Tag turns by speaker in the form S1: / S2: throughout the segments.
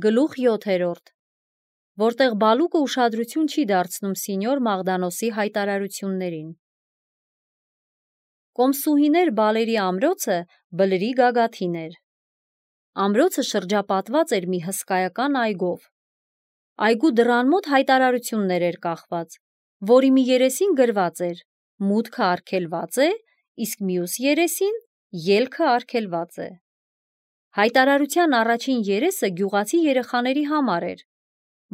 S1: Գլուխ 7, որտեղ Բալուկը ուշադրություն չի դարձնում սինյոր Մաղդանոսի հայտարարություններին։ Կոմսուհիներ բալերի ամրոցը բլրի գագաթին էր։ Ամրոցը շրջապատված էր մի հսկայական այգով։ Այգու դռան մոտ հայտարարություններ էր կախված, որի մի երեսին գրված էր. մուտքը արգելված է, իսկ մյուս երեսին ելքը արգելված է։ Հայտարարության առաջին երեսը գյուղացի երեխաների համար էր,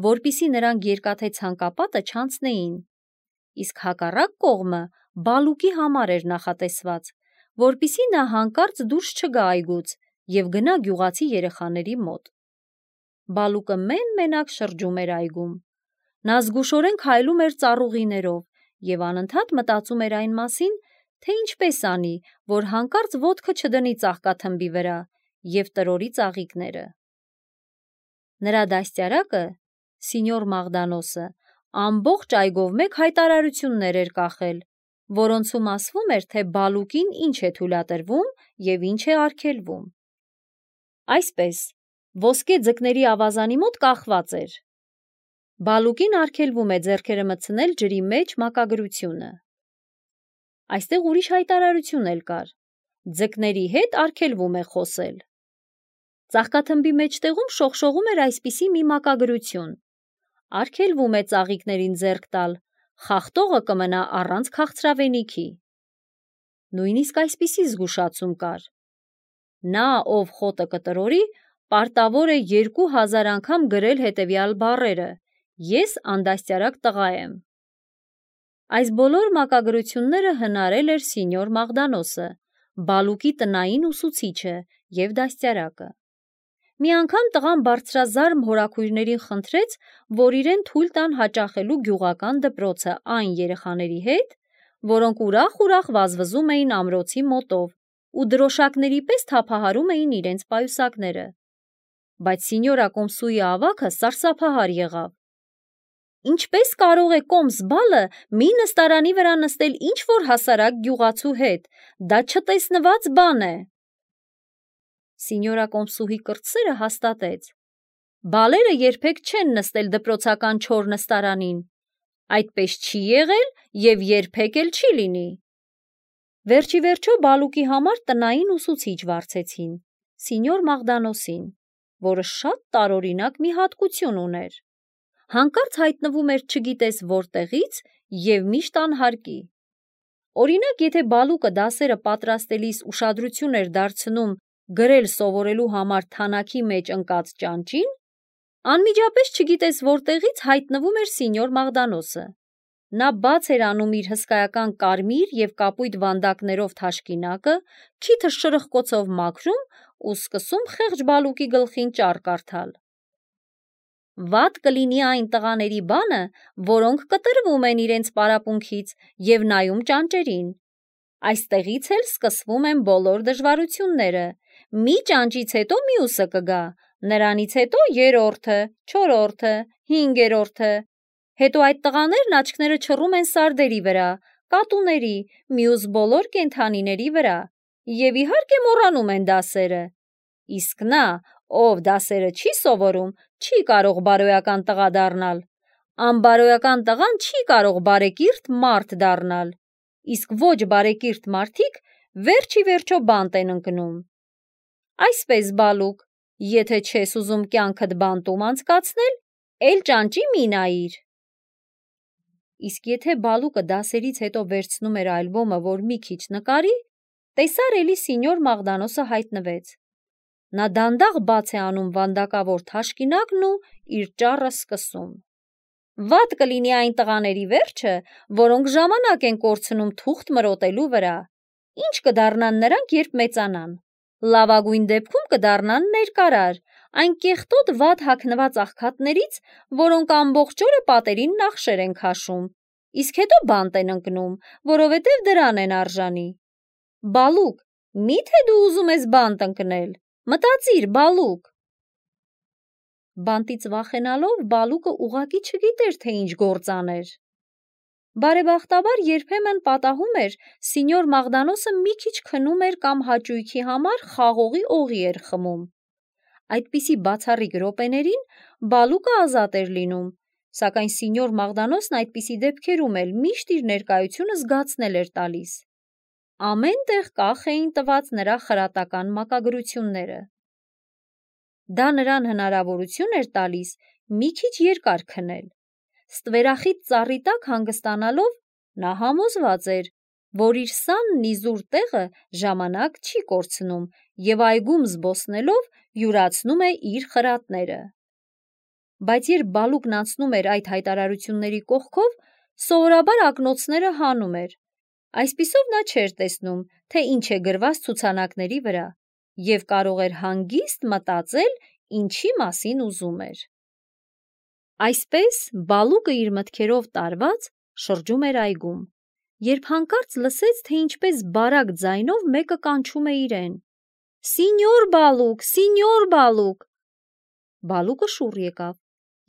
S1: որպիսի նրանք երկաթե ցանկապատը չանցնեին, իսկ հակառակ կողմը Բալուկի համար էր նախատեսված, որպիսի նա հանկարծ դուրս չգա այգուց և գնա գյուղացի երեխաների մոտ։ Բալուկը մեն-մենակ շրջում էր այգում։ Նա զգուշորեն քայլում էր ծառուղիներով և անընդհատ մտածում էր այն մասին, թե ինչպես անի, որ հանկարծ ոտքը չդնի ծաղկաթմբի վրա և տրորի ծաղիկները։ Նրա դաստիարակը, սինյոր Մաղդանոսը, ամբողջ այգով մեկ հայտարարություններ էր կախել, որոնցում ասվում էր, թե Բալուկին ինչ է թույլատրվում և ինչ է արգելվում։ Այսպես, ոսկե ձկների ավազանի մոտ կախված էր. Բալուկին արգելվում է ձեռքերը մտցնել ջրի մեջ մակագրությունը։ Այստեղ ուրիշ հայտարարություն էլ կար. ձկների հետ արգելվում է խոսել։ Ծաղկաթմբի մեջտեղում շողշողում էր այսպիսի մի մակագրություն. արգելվում է ծաղիկներին ձեռք տալ, խախտողը կմնա առանց քաղցրավենիքի։ Նույնիսկ այսպիսի զգուշացում կար. նա, ով խոտը կտրորի, պարտավոր է 2000 անգամ գրել հետևյալ բառերը. ես անդաստիարակ տղա եմ։ Այս բոլոր մակագրությունները հնարել էր սինյոր Մաղդանոսը, Բալուկի տնային ուսուցիչը և դաստիարակը։ Մի անգամ տղան բարձրազարմ հորաքույրներին խնդրեց, որ իրեն թույլ տան հաճախելու գյուղական դպրոցը այն երեխաների հետ, որոնք ուրախ-ուրախ վազվզում էին ամրոցի մոտով ու դրոշակների պես թափահարում էին իրենց պայուսակները։ Բայց սինյորա Կոմսուի ավագը սարսափահար եղավ։ Ինչպես կարող է Կոմս բալը մի նստարանի վրա նստել ինչ-որ հասարակ գյուղացու հետ, դա չտեսնված բան է։ Սինյորա Կոմսուհի կրտսերը հաստատեց. բալերը երբեք չեն նստել դպրոցական չոր նստարանին, այդպես չի եղել և երբեք էլ չի լինի։ Վերջիվերջո Բալուկի համար տնային ուսուցիչ վարձեցին, սինյոր Մաղդանոսին, որը շատ տարօրինակ մի հատկություն ուներ։ Հանկարծ հայտնվում էր չգիտես որտեղից և միշտ անհարկի։ Օրինակ, եթե Բալուկը դասերը պատրաստելիս ուշադրություն էր դարձնում գրել սովորելու համար թանաքի մեջ ընկած ճանճին, անմիջապես չգիտես որտեղից հայտնվում էր սինյոր Մաղդանոսը։ Նա բաց էր անում իր հսկայական կարմիր և կապույտ վանդակներով թաշկինակը, քիթը շրխկոցով մաքրում ու սկսում խեղճ Բալուկի գլխին ճառ կարդալ։ Վատ կլինի այն տղաների բանը, որոնք կտրվում են իրենց պարապմունքից և նայում ճանճերին։ Այստեղից էլ սկսվում են բոլոր դժվարությունները։ Մի ճանճից հետո մյուսը կգա, նրանից հետո երրորդը, չորրորդը, հինգերորդը։ Հետո այդ տղաներն աչքները չռում են սարդերի վրա, կատուների, մյուս բոլոր կենդանիների վրա և իհարկե մոռանում են դասերը։ Իսկ նա, ով դասերը չի սովորում, չի կարող բարոյական տղա դառնալ։ Անբարոյական տղան չի կարող բարեկիրթ մարդ դառնալ, իսկ ոչ բարեկիրթ մարդիկ վերջիվերջո բանտ են ընկնում։ Այսպես, Բալուկ, եթե չես ուզում կյանքդ բանտում անցկացնել, էլ ճանճի մի նայիր։ Իսկ եթե Բալուկը դասերից հետո վերցնում էր ալբոմը, որ մի քիչ նկարի, տեսար էլի սինյոր Մաղդանոսը հայտնվեց։ Նա դանդաղ բաց է անում վանդակավոր թաշկինակն ու իր ճառը սկսում։ Վատ կլինի այն տղաների վերջը, որոնք ժամանակ են կորցնում թուղթ մրոտելու վրա։ Ինչ կդառնան նրանք, երբ մեծանան։ Լավագույն դեպքում կդառնան ներկարար, այն կեղտոտ վատ հագնված աղքատներից, որոնք ամբողջ օրը պատերին նախշեր են քաշում, իսկ հետո բանտ են ընկնում, որովհետև դրան են արժանի։ Բալուկ, մի՞թե դու ուզում ես բանտ ընկնել։ Մտածիր, Բալուկ։ Բանտից վախենալով Բալուկը ուղղակի չգիտեր, թե ինչ գործ աներ։ Բարեբախտաբար երբեմն պատահում էր, սինյոր Մաղդանոսը մի քիչ քնում էր կամ հաճույքի համար խաղողի օղի էր խմում։ Այդպիսի բացառիկ րոպեներին Բալուկը ազատ էր լինում, սակայն սինյոր Մաղդանոսն այդպիսի դեպքերում էլ միշտ իր ներկայությունը զգացնել էր տալիս։ Ամեն տեղ կախ էին տված նրա խրատական մակագրությունները։ Դա նրան հնարավորություն էր տալիս մի քիչ երկար քնել։ Ստվերախիտ ծառի տակ հանգստանալով նա համոզված էր, որ իր սանն իզուր տեղը ժամանակ չի կորցնում և այգում զբոսնելով յուրացնում է իր խրատները։ Բայց երբ Բալուկն անցնում էր այդ հայտարարությունների կողքով, սովորաբար ակնոցները հանում էր։ Այսպիսով նա չէր տեսնում, թե ինչ է գրված ցուցանակների վրա, և կարող էր հանգիստ մտածել, ինչի մասին ուզում էր։ Այսպես Բալուկը իր մտքերով տարված շրջում էր այգում, երբ հանկարծ լսեց, թե ինչպես բարակ ձայնով մեկը կանչում է իրեն. «Սինյոր Բալուկ, Սինյոր Բալուկ»։ Բալուկը շուռ եկավ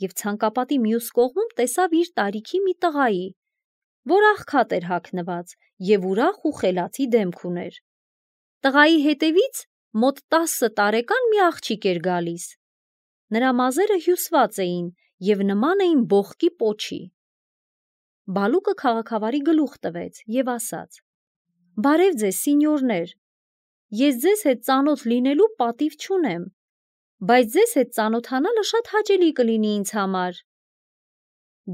S1: և ցանկապատի մյուս կողմում տեսավ իր տարիքի մի տղայի, որ աղքատ էր հագնված և ուրախ ու խելացի դեմք ուներ։ Տղայի հետևից մոտ 10 տարեկան մի աղջիկ էր գալիս։ Նրա մազերը հյուսված էին և նման էին բողկի պոչի։ Բալուկը քաղաքավարի գլուխ տվեց և ասաց. «Բարև ձեզ, սինյորներ, ես ձեզ հետ ծանոթ լինելու պատիվ չունեմ, բայց ձեզ հետ ծանոթանալը շատ հաճելի կլինի ինձ համար»։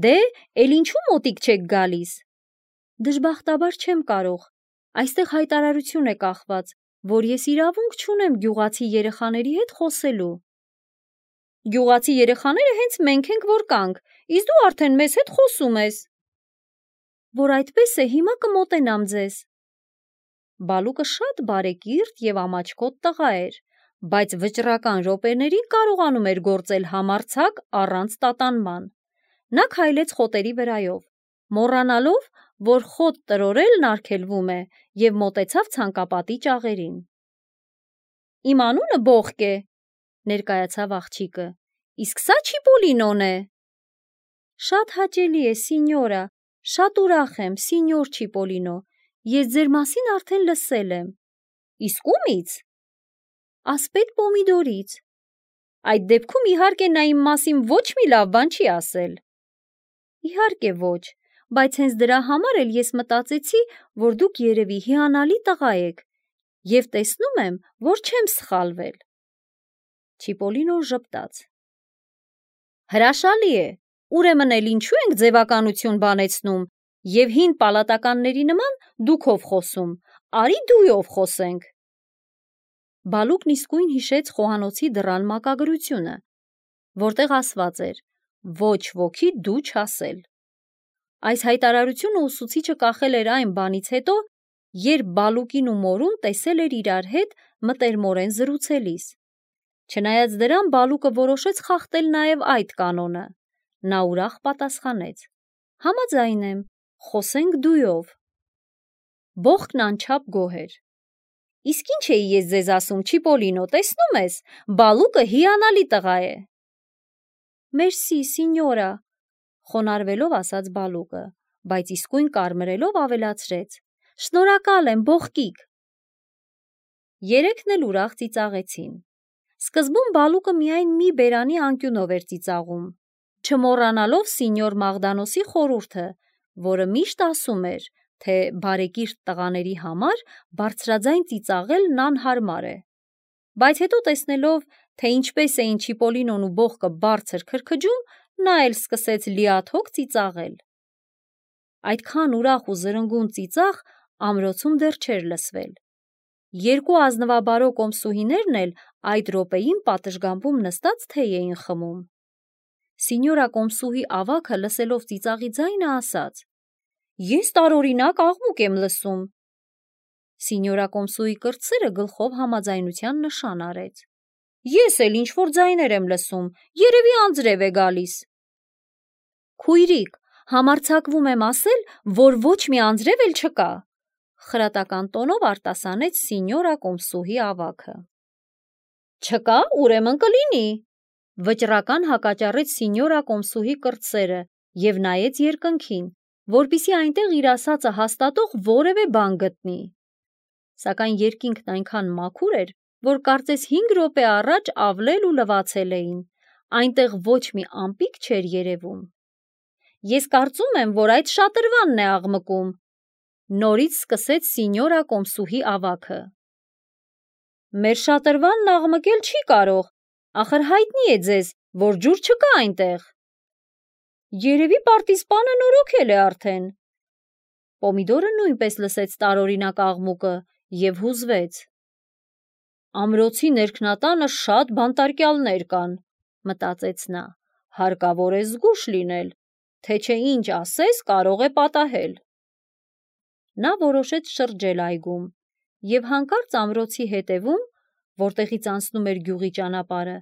S1: «Դե, էլ ինչու մոտիկ չեք գալիս»։ «Դժբախտաբար չեմ կարող, այստեղ հայտարարություն է կախված, որ ես իրավունք չունեմ գյուղացի երեխաների հետ խոսելու»։ «Գյուղացի երեխաները հենց մենք ենք, որ կանք, իսկ դու արդեն մեզ հետ խոսում ես»։ «Որ այդպես է, հիմա կմոտենամ ձեզ»։ Բալուկը շատ բարեկիրթ և ամաչկոտ տղա էր, բայց վճռական րոպեներին կարողանում էր գործել համարձակ առանց տատանման։ Նա քայլեց խոտերի վրայով, մոռանալով, որ խոտ տրորելն արգելվում է, և մոտեցավ ցանկապատի ճաղերին։ «Իմ անունը Բողկ է», ներկայացավ աղջիկը, «իսկ սա Չիպոլինոն է»։ «Շատ հաճելի է, սինյորա, շատ ուրախ եմ, սինյոր Չիպոլինո, ես ձեր մասին արդեն լսել եմ»։ «Իսկ ումի՞ց»։ «Ասպետ Պոմիդորից»։ «Այդ դեպքում իհարկե նա իմ մասին ոչ մի լավ բան չի ասել»։ «Իհարկե ոչ, բայց հենց դրա համար էլ ես մտածեցի, որ դուք երևի հիանալի տղա եք, և տեսնում եմ, որ չեմ սխալվել»։ Չիպոլինոն ժպտաց։ «Հրաշալի է, ուրեմն էլ ինչու ենք ձևականություն բանեցնում և հին պալատականների նման դուքով խոսում, արի դույով խոսենք»։ Բալուկն իսկույն հիշեց խոհանոցի դռան մակագրությունը, որտեղ ասված էր. «Ոչ ոքի դու չասել»։ Այս հայտարարությունը ուսուցիչը կախել էր այն բանից հետո, երբ Բալուկին ու մորուն տեսել էր իրար հետ մտերմորեն զրուցելիս։ Չնայած դրան, Բալուկը որոշեց խախտել նաև այդ կանոնը։ Նա ուրախ պատասխանեց. «Համաձայն եմ, խոսենք դույով»։ Բողկն անչափ գոհ էր։ «Իսկ ինչ էի ես ձեզ ասում, Չիպոլինո, տեսնում ես, Բալուկը հիանալի տղա է»։ «Մերսի, սինյորա», խոնարհվելով ասաց Բալուկը, բայց իսկույն կարմրելով ավելացրեց. «Շնորհակալ եմ, Բողկիկ»։ Երեքն էլ ուրախ ծիծաղեցին։ Սկզբում Բալուկը միայն մի բերանի անկյունով էր ծիծաղում, չմոռանալով սինյոր Մաղդանոսի խորհուրդը, որը միշտ ասում էր, թե բարեկիրթ տղաների համար բարձրաձայն ծիծաղելն անհարմար է։ Բայց հետո տեսնելով, թե ինչպես էին Չիպոլինոն ու Բողկը բարձր քրքջում, նա էլ սկսեց լիաթոք ծիծաղել։ Այդքան ուրախ ու զրնգուն ծիծաղ ամրոցում դեռ չէր լսվել։ Երկու ազնվաբարո կոմսուհիներն էլ այդ րոպեին պատշգամբում նստած թեյ էին խմում։ Սինյորա կոմսուհի ավագը լսելով ծիծաղի ձայնը ասաց. «Ես տարօրինակ աղմուկ եմ լսում»։ Սինյորա կոմսուհի կրտսերը գլխով համաձայնության նշան արեց։ «Ես էլ ինչ-որ ձայներ եմ լսում, երևի անձրև է գալիս»։ «Քույրիկ, համարձակվում եմ ասել, որ ոչ մի անձրև էլ չկա», խրատական տոնով արտասանեց սինյորա կոմսուհի ավագը։ «Չկա, ուրեմն կլինի», վճռական հակաճառեց սինյորա կոմսուհի կրտսերը և նայեց երկնքին, որպեսզի այնտեղ իր ասածը հաստատող որևէ բան գտնի։ Սակայն երկինքն այնքան մաքուր էր, որ կարծես 5 րոպե առաջ ավլել ու լվացել էին, այնտեղ ոչ մի ամպիկ չէր երևում։ Ես կարծում եմ, որ այդ շատրվանն է աղմկում, նորից սկսեց սինյորա Կոմսուհի ավագը։ Մեր շատրվանն աղմկել չի կարող, ախր հայտնի է ձեզ, որ ջուր չկա այնտեղ։ Երևի պարտիզպանը նորոգել է արդեն։ Պոմիդորը նույնպես լսեց տարօրինակ աղմուկը և հուզվեց։ Ամրոցի ներքնատանը շատ բանտարկյալներ կան, մտածեց նա, հարկավոր է զգույշ լինել, թե չէ ինչ ասես կարող է պատահել։ Նա որոշեց շրջել այգում և հանկարծ ամրոցի հետևում, որտեղից անցնում էր գյուղի ճանապարհը,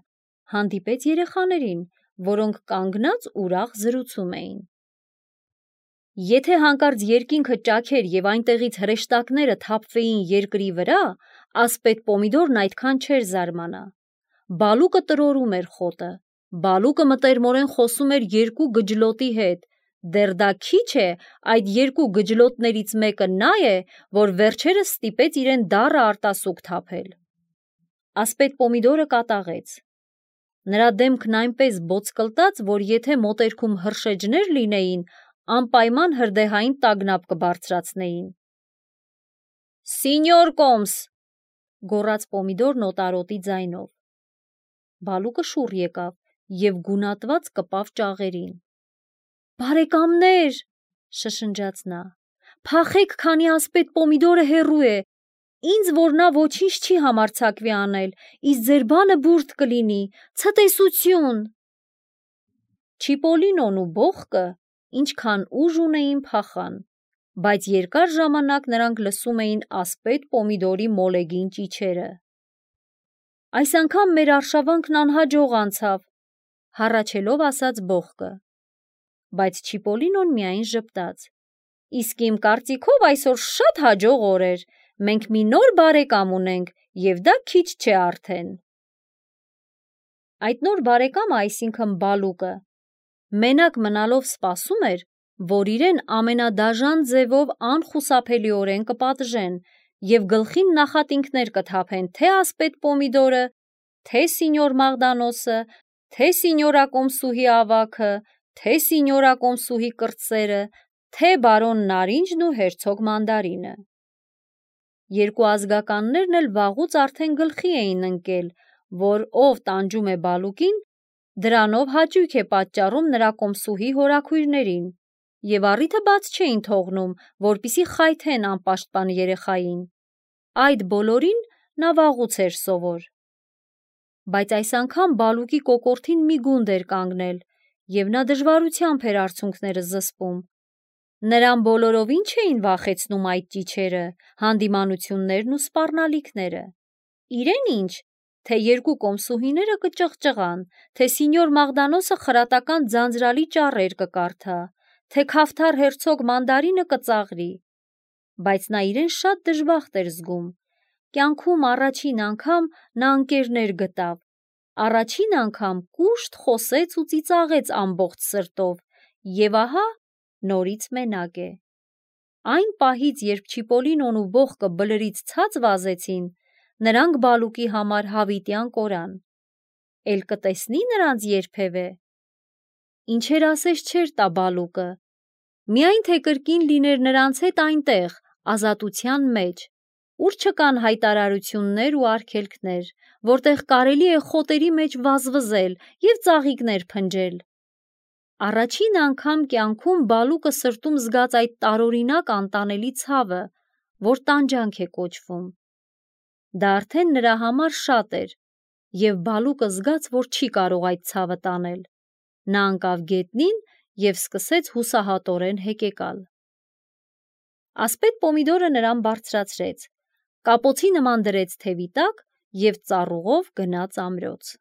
S1: հանդիպեց երեխաներին, որոնք կանգնած ուրախ զրուցում էին։ Եթե հանկարծ երկինքը ճաքեր և այնտեղից հրեշտակները թափվեին երկրի վրա, ասպետ Պոմիդորն այդքան չէր զարմանա։ Բալուկը տրորում էր խոտը, բալուկը մտերմորեն խոսում էր երկու գջլոտի հետ, դեռ դա քիչ է, այդ երկու գջլոտներից մեկը նա է, որ վերջերս ստիպեց իրեն դառը արտասուք թափել։ Ասպետ Պոմիդորը կատաղեց։ Նրա դեմքն այնպես բոցկլտաց, որ եթե մոտերքում հրշեջներ լինեին, անպայման հրդեհային տագնապ կբարձրացնեին։ Սինյոր Կոմս, գոռաց Պոմիդորն օտարոտի ձայնով։ Բալուկը շուռ եկավ և գունատված կպավ ճաղերին։ Բարեկամներ, շշնջաց նա, փախեք, քանի ասպետ Պոմիդորը հեռու է, ինձ որ նա ոչինչ չի համարձակվի անել, իսկ ձեր բանը բուրդ կլինի, ցտեսություն։ Չիպոլինոն ու Բոխկը ինչքան ուժ ունեին փախան, բայց երկար ժամանակ նրանք լսում էին ասպետ Պոմիդորի մոլեգին ճիչերը։ Այս անգամ մեր արշավանքն անհաջող անցավ, հառաչելով ասաց Բոխկը։ Բայց Չիպոլինոն միայն ժպտաց։ Իսկ իմ կարծիքով այսօր շատ հաջող օր էր, մենք մի նոր բարեկամ ունենք և դա քիչ չէ արդեն։ Այդ նոր բարեկամը, այսինքն Բալուկը, մենակ մնալով սպասում էր, որ իրեն ամենադաժան ձևով անխուսափելիորեն կպատժեն և գլխին նախատինքներ կթափեն թե ասպետ Պոմիդորը, թե սինյոր Մաղդանոսը, թե սինյորա Կոմսուհի ավագը, թե սինյորա Կոմսուհի կրտսերը, թե բարոն Նարինջն ու հերցոգ Մանդարինը։ Երկու ազգականներն էլ վաղուց արդեն գլխի էին ընկել, որ ով տանջում է Բալուկին, դրանով հաճույք է պատճառում նրա Կոմսուհի հորաքույրներին, և առիթը բաց չէին թողնում, որպեսզի խայթեն անպաշտպան երեխային։ Այդ բոլորին նա վաղուց էր սովոր։ Բայց այս անգամ Բալուկի կոկորդին մի գունդ էր կանգնել, և նա դժվարությամբ էր արցունքները զսպում։ Նրան բոլորովին չէին վախեցնում այդ ճիչերը, հանդիմանություններն ու սպառնալիքները։ Իրեն ինչ, թե երկու կոմսուհիները կճղճղան, թե սինյոր Մաղդանոսը խրատական ձանձրալի ճառեր կկարդա, թե քավթար հերցոգ Մանդարինը կծաղրի։ Բայց նա իրեն շատ դժբախտ էր զգում։ Կյանքում առաջին անգամ նա ընկերներ գտավ, առաջին անգամ կուշտ խոսեց ու ծիծաղեց ամբողջ սրտով, և ահա նորից մենակ է։ Այն պահից, երբ Չիպոլինոն ու Բոխկը բլրից ցած վազեցին, նրանք Բալուկի համար հավիտյան կորան։ Էլ կտեսնի նրանց երբևէ։ Ինչեր ասես չէր տա Բալուկը։ Միայն թե կրկին լիներ նրանց հետ այնտեղ, ազատության մեջ, ուր չկան հայտարարություններ ու արգելքներ, որտեղ կարելի է խոտերի մեջ վազվզել և ծաղիկներ փնջել։ Առաջին անգամ կյանքում Բալուկը սրտում զգաց այդ տարօրինակ անտանելի ցավը, որ տանջանք է կոչվում։ Դա արդեն նրա համար շատ էր, և Բալուկը զգաց, որ չի կարող այդ ցավը տանել։ Նա ընկավ գետնին և սկսեց հուսահատորեն հեկեկալ։ Ասպետ Պոմիդորը նրան բարձրացրեց, կապոցի նման դրեց թևի տակ և ծառուղով գնաց ամրոց։